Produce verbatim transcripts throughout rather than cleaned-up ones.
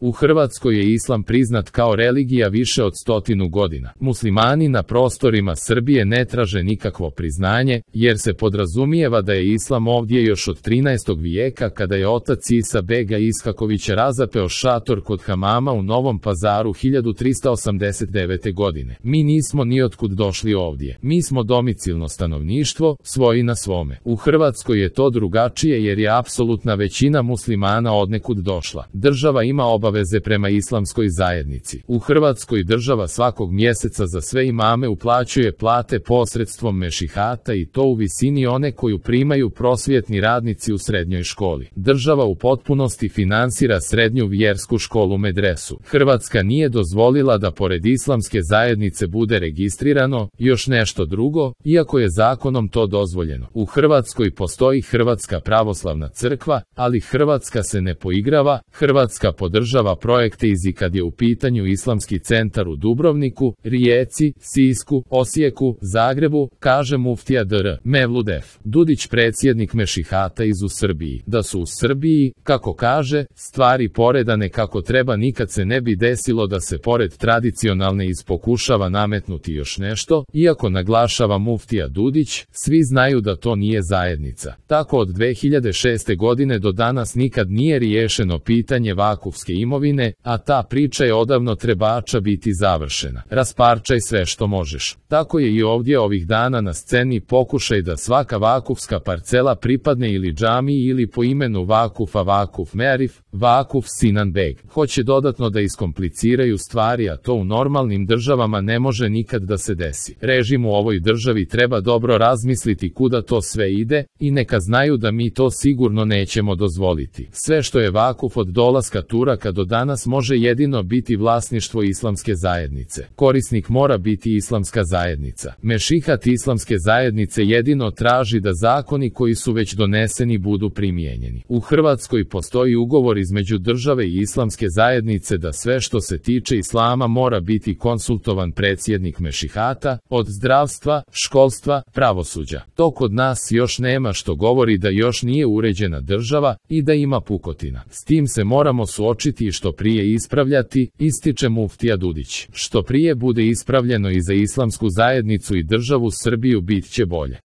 U Hrvatskoj je islam priznat kao religija više od stotinu godina. Muslimani na prostorima Srbije ne traže nikakvo priznanje, jer se podrazumijeva da je islam ovdje još od trinaestog vijeka kada je otac Isa bega Ishakovića razapeo šator kod hamama u Novom Pazaru hiljadu trista osamdeset devete. godine. Mi nismo ni otkud došli ovdje. Mi smo domicilno stanovništvo, svoji na svome. U Hrvatskoj je to drugačije jer je apsolutna većina muslimana odnekud došla. Država ima obaveze prema islamskoj zajednici. U Hrvatskoj država svakog mjeseca za sve imame uplaćuje plate posredstvom mešihata i to u visini one koju primaju prosvjetni radnici u srednjoj školi. Država u potpunosti finansira srednju vjersku školu medresu. Hrvatska nije dozvolila da pored islamske zajednice bude registrirano još nešto drugo, iako je zakonom to dozvoljeno. U Hrvatskoj postoji Hrvatska pravoslavna crkva, ali Hrvatska se ne poigrava, Hrvatska podržava projekte iz i kad je u pitanju Islamski centar u Dubrovniku, Rijeci, Sisku, Osijeku, Zagrebu, kaže muftija dr. Mevlud F. Dudić, predsjednik mešihata iz u Srbiji. Da su u Srbiji, kako kaže, stvari poredane kako treba, nikad se ne bi desilo da se pored tradicionalne ispokušava nametnuti još nešto, iako naglašava muftija Dudić, svi znaju da to nije zajednica. Tako od dve hiljade šeste. godine do danas nikad nije riješeno pitanje vakufske imovine, a ta priča je odavno trebača biti završena. Rasparčaj sve što možeš. Tako je i ovdje ovih dana na sceni pokušaj da svaka vakufska parcela pripadne ili džamiji ili po imenu Vakufa Vakuf Mearif, Vakuf Sinan Beg. Hoće dodatno da iskompliciraju stvari, a to u normalnim državama ne može nikad da se desi. Režim u ovoj državi treba dobro razmisliti kuda to sve ide i neka znaju da mi to sigurno nećemo dozvoliti. Sve što je vakuf od dolaska Turaka do danas može jedino biti vlasništvo islamske zajednice. Korisnik mora biti islamska zajednica. Mešihat islamske zajednice jedino traži da zakoni koji su već doneseni budu primijenjeni. U Hrvatskoj postoji ugovor između države i islamske zajednice da sve što se tiče islama mora biti konsultovan predsjednik mešihata, od zdravstva, školstva, pravosuđa. To kod nas još nema, što govori da još nije uređena država i da ima pukotina. S tim se moramo suočiti i što prije ispravljati, ističe muftija Dudić. Što prije bude ispravljeno i za islamsku zajednicu i državu Srbiju bit će bolje.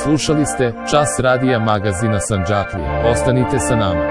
Slušali ste Čas radija magazina Sandžaklija. Ostanite sa nama.